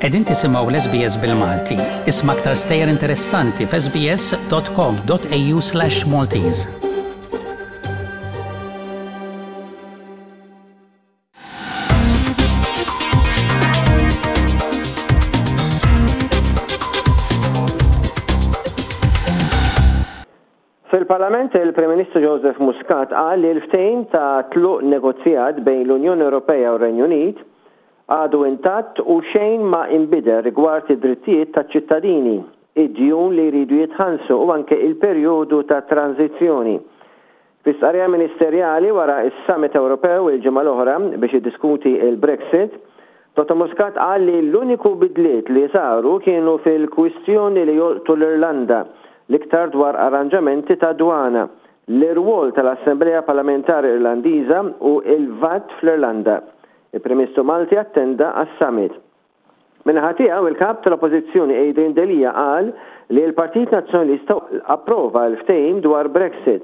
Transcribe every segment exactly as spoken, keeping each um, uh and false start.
Qegħdin tisimgħu l-S B S bil-Malti. Isma' aktar stejjer interessanti f'S B S dot com dot A U slash Maltese. Fil-Parlament, il-Prim Ministru Joseph Muscat qal li l-ftehim ta' tluq negozjat bejn l-Unjoni Ewropea u r-Renju Unit għadu intatt u xejn ma inbidel rigward id-drittijiet taċ-ċittadini, id-djun li jridu jitħallsu u anke il-perjodu ta' tranzizzjoni. Fi stqarrija ministerjali wara is-Summit Ewropew il-ġimgħa l-oħra biex jiddiskuti il-Brexit, Dottor Muscat qal li l-uniku bidliet li saru kienu fil-kwistjoni li jolqtu l-Irlanda, l-iktar dwar arranġamenti ta' dwana, l-irwol tal-Assemblea Parlamentari Irlandiża u il-VAT fl-Irlanda. Il-Prim Ministru Malti attenda għas-summit. Min-naħa tiegħu, il-kap tal-Oppożizzjoni Adrian Delia qal li l-Partit Nazzjonalista approva l-ftehim dwar Brexit.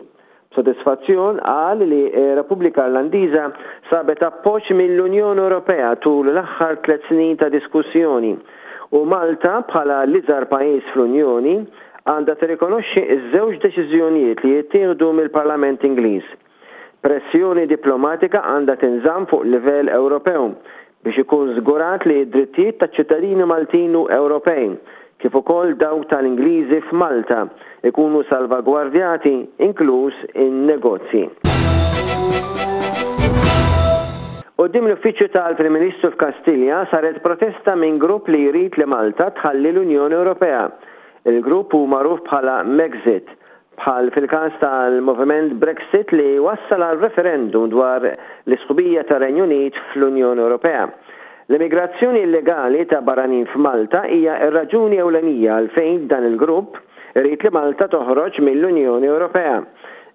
B'sodisfazzjon qal li Repubblika Irlandiża sabet appoġġ mill-Unjoni Ewropea tul l-aħħar tliet snin ta' diskussjoni u Malta, bħala l-iżgħar pajjiż fl-Unjoni, għandha tirrikonoxxi ż-żewġ deċiżjonijiet li jittieħdu mill-Parlament Ingliż. Pressjoni diplomatika għandha tinżamm fuq livell Ewropew biex ikun żgurat li d-drittijiet taċ-ċittadini Maltin u Ewropej, kif ukoll dawk tal-Ingliżi f'Malta, ikunu salvagwardjati, inkluż in-negozji. Quddiem l-uffiċċju tal-Prim Ministru f'Kastilja saret protesta minn grupp li jrid li Malta tħalli l-Unjoni Ewropea. Il-grupp hu magħruf bħala Megxit, bħal fil-każ tal-moviment Brexit li wassal għal referendum dwar l-isħubija tar-Renju Unit fl-Unjoni Ewropea. L-immigrazzjoni illegali ta' barranin f'Malta hija r-raġuni ewlenija għalfejn dan il-grupp irid li Malta toħroġ mill-Unjoni Ewropea.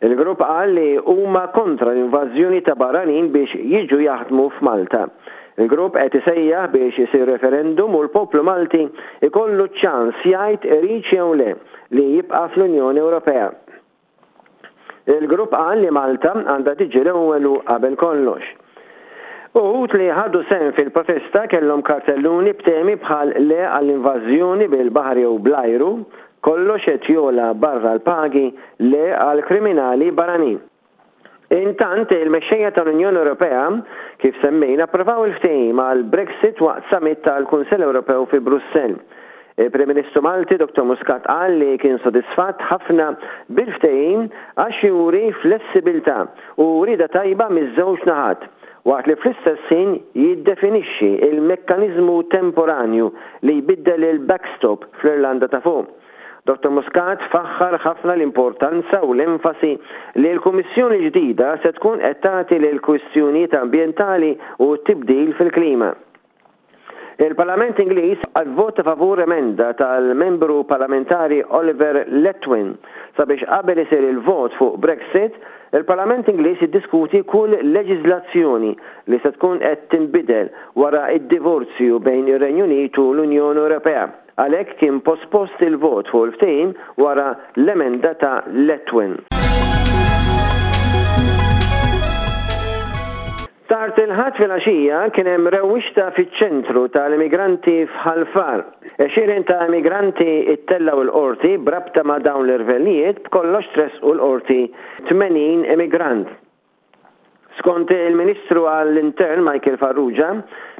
Il-grupp qal li huma kontra l-invażjoni ta' barranin biex jiġu jaħdmu f'Malta. Il-grupp qed isejjaħ biex isir referendum u l-poplu Malti ikollu ċans jgħid irid jew le li jibqa' fl-Unjoni Ewropea. Il-grupp qal li Malta għandha tiġi l-ewwel u qabel kollox. Uħud li ħadu sehem fil-protesta kellhom kartelluni b'temi bħal "le għall-invażjoni bil-baħar jew bl-ajru", "kollox qed jogħla barra l-pagi", "le għal kriminali barranin". Intant, il-mexxejja tal-Unjoni Ewropea, kif semmejna, approvaw il-ftehim għal Brexit waqt summit tal-Kunsell Ewropew fi Brussell. Il-Prim Ministru Malti Doctor Muscat qal li kien sodisfatt ħafna bil-ftehim għax juri flessibilità u rida tajba miż-żewġ naħat, waqt li fl-istess ħin jiddefinixxi il-mekkaniżmu temporanju li jbiddel il-backstop fl-Irlanda ta' Fuq. Doctor Muscat faħħar ħafna l-importanza u l-enfasi li l-Kummissjoni ġdida se tkun qed tagħti lil kwistjonijiet ambjentali u tibdil fil-klima. Il-Parlament Ingliż vvota favur emenda tal-membru parlamentari Oliver Letwin sabiex qabel isir il-vot fuq Brexit, il-Parlament Ingliż jiddiskuti kull leġiżlazzjoni li se tkun qed tinbidel wara id-divorzju bejn ir-Renju Unit u l-Unjoni Ewropea. Għalhekk kien pospost il-vot fuq il-ftehim wara l-emenda ta' Letwin. Tard il-Ħadd filgħaxija kien hemm rewwixta fiċ-ċentru tal-immigranti f'Ħal Far. Għexieren ta' immigranti ittellgħu l-qorti brabta ma' dawn l-irvellijiet. B'kollox tressqu l-qorti tmenin immigrant. Skont il-Ministru għall-Intern Michael Farrugia,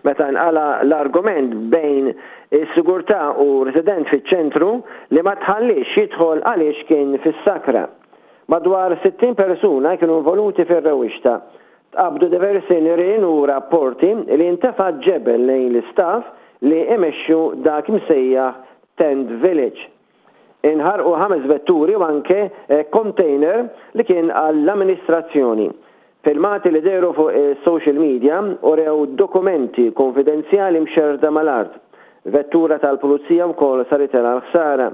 meta nqala l-argument bejn is-sigurtà u resident fiċ-ċentru li ma tħallix jidħol għaliex kien fis-sakra. Madwar sittin persuna kienu involuti fir-rewwixta. Tqabdu diversi nirien u rapporti li intefa' ġebel lejn l-istaff li imexxu dak imsejjaħ Tent Village. Inħarqu ħames vetturi u anke container li kien għall-amministrazzjoni. Filmati li dehru fuq social media urew dokumenti konfidenzjali mxerda mal-art. Vettura tal-pulizija wkoll saritilha l-ħsara.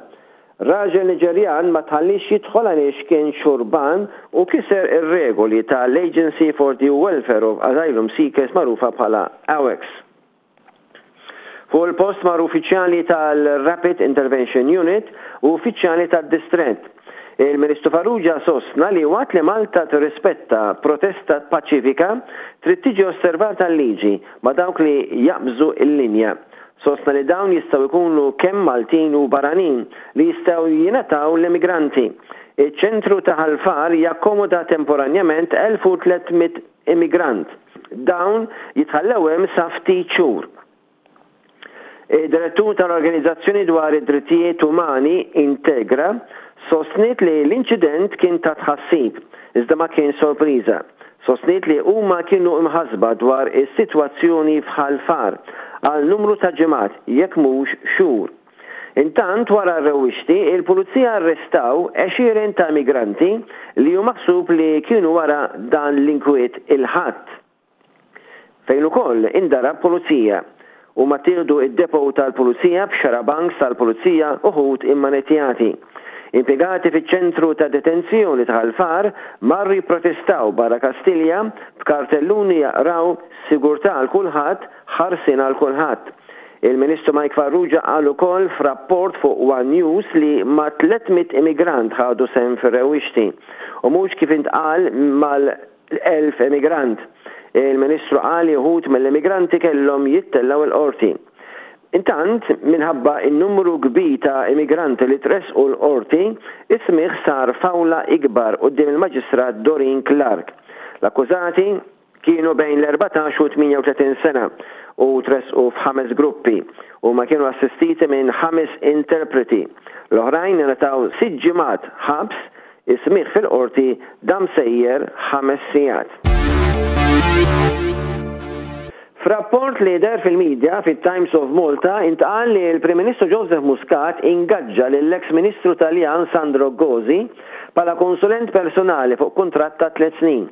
Raġel Niġerjan ma tħallix jidħol għaliex kien xurban u kiser ir-regoli tal-Agency for the Welfare of Asylum Seekers, magħrufa bħala AWACS. Fuq il-post marru uffiċjali tal-Rapid Intervention Unit u uffiċjali tad-distrett. Il-Ministru Farrugia sostna li waqt li Malta tirrispetta protesta paċifika, trid tiġi osservata l-liġi ma' dawk li jaqbżu il-linja. Sostna li dawn jistgħu jkunu kemm Maltin u barranin li jistgħu jingħataw l-immigranti. Iċ-ċentru ta' Ħal Far jakkomoda temporanjament elf u tliet mitt immigrant. Dawn jitħallew hemm sa ftit xhur. Id-direttur tal-Organizzazzjoni dwar id-Drittijiet Umani Integra sostniet li l-inċident kien ta' tħassib, iżda ma kien sorpriża. Sostniet li huma kienu imħasba dwar is-sitwazzjoni f'Ħal Far għal numru ta' ġimgħat, jekk mhux xhur. Intant, wara r-rewwixti, il-pulizija arrestaw għexieren ta' migranti li hu maħsub li kienu wara dan l-inkwiet il-Ħadd, fejn ukoll indarab pulizija u ma ttieħdu id-depot tal-pulizija b'xarabanks tal-pulizija uħud immanetjati. Impjegati fiċ-ċentru ta' detenzjoni ta' Ħal Far marru jipprotestaw barra Kastilja b'kartelluni jaqraw "Sigurtà għal kulħadd, ħarsien għal kulħadd". Il-Ministru Mike Farrugia qal ukoll f'rapport fuq One News li mat-tliet mitt immigrant ħadu sehem fir-rewwixti u mhux kif intqal mal-elf immigrant. Il-Ministru qal li uħud mill-immigranti kellhom jittellgħu il-qorti. Intant, minħabba il-numru kbir ta' immigranti li tresqu l-qorti, is-smigħ sar f'awla ikbar quddiem il-Maġistrat Doreen Clarke. L-akkużati kienu bejn l-erbatax u tmienja u tletin sena u tresqu f'ħames gruppi u ma kienu assistiti minn ħames interpreti. L-oħrajn ngħataw sitt ġimgħat ħabs. Is-smigħ fil-qorti dam sejjer ħames sigħat. F'rapport li deher fil-medja fit-Times of Malta intqal li l-Prim Ministru Joseph Muscat ingaġġa lill-ex Ministru Taljan Sandro Gozi bħala konsulent personali fuq kuntratt ta' tliet snin.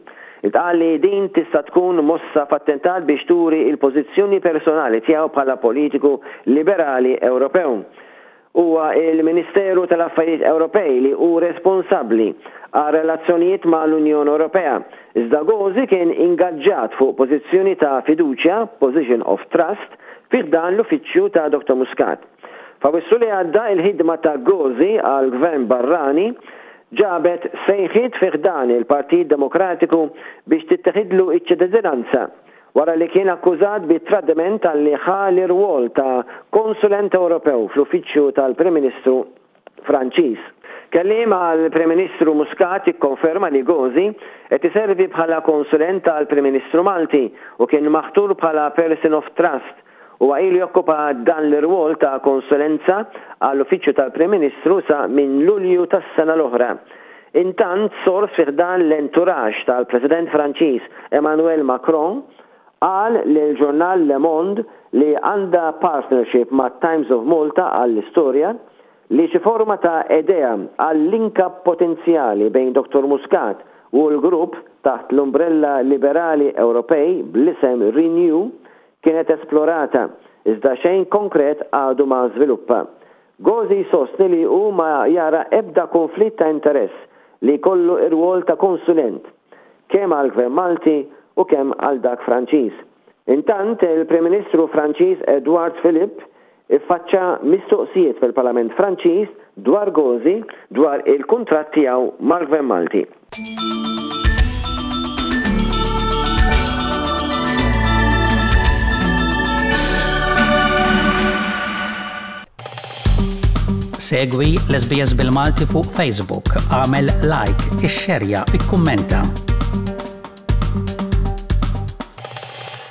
Intqal li din tista' tkun mossa f'attentat biex turi il-pożizzjoni personali tiegħu bħala politiku liberali Ewropew. Huwa il-Ministeru tal-Affarijiet Ewropej li hu responsabbli għal relazzjonijiet ma' l-Unjoni Ewropea. Iżda Gozi kien ingaġġat fuq pożizzjoni ta' fiduċja, position of trust, fi dan l-uffiċċju ta' Doktor Muscat. F'Awwissu li għadda, il-ħidma ta' Gozi għal gvern barrani ġabet sejħiet fi ħdan il-Partit Demokratiku biex titteħidlu iċ-ċittadinanza wara li kien akkużat bi tradiment talli ħa l-irwol ta' konsulent Ewropew fl-uffiċċju tal-Prim Ministru Franċiż. Kelliem għal Prim Ministru Muscat ikkonferma li Gozi qed iservi bħala konsulent tal-Prim Ministru Malti u kien maħtur bħala person of trust u ilu jokkupa dan l-irwol ta' konsulenza għall-uffiċċju tal-Prim Ministru sa minn Lulju tas-sena l-oħra. Intant, sors fi ħdan l-entourage tal-President Franċiż Emmanuel Macron qal lil ġurnal Le Monde, li għandha partnership ma' Times of Malta għall-istorja, li xi forma ta' idea għal link-up potenzjali bejn Doktor Muscat u l-grupp taħt l-umbrella liberali Ewropej bl-isem Renew kienet esplorata, iżda xejn konkret għadu ma żviluppa. Gozi sostni li hu ma jara ebda konflitt ta' interess li kollu ir-rwol ta' konsulent kemm għal gvern Malti u kemm għal dak Franċiż. Intant, il-Prim Ministru Franċiż Edouard Philippe iffaċċa mistoqsijiet fil-Parlament Franċiż dwar Gozi, dwar il-kuntratt tiegħu mal-Gvern Malti. Segwi l-S B S bil-Malti fuq Facebook, agħmel like, ixxerja, ikkummenta.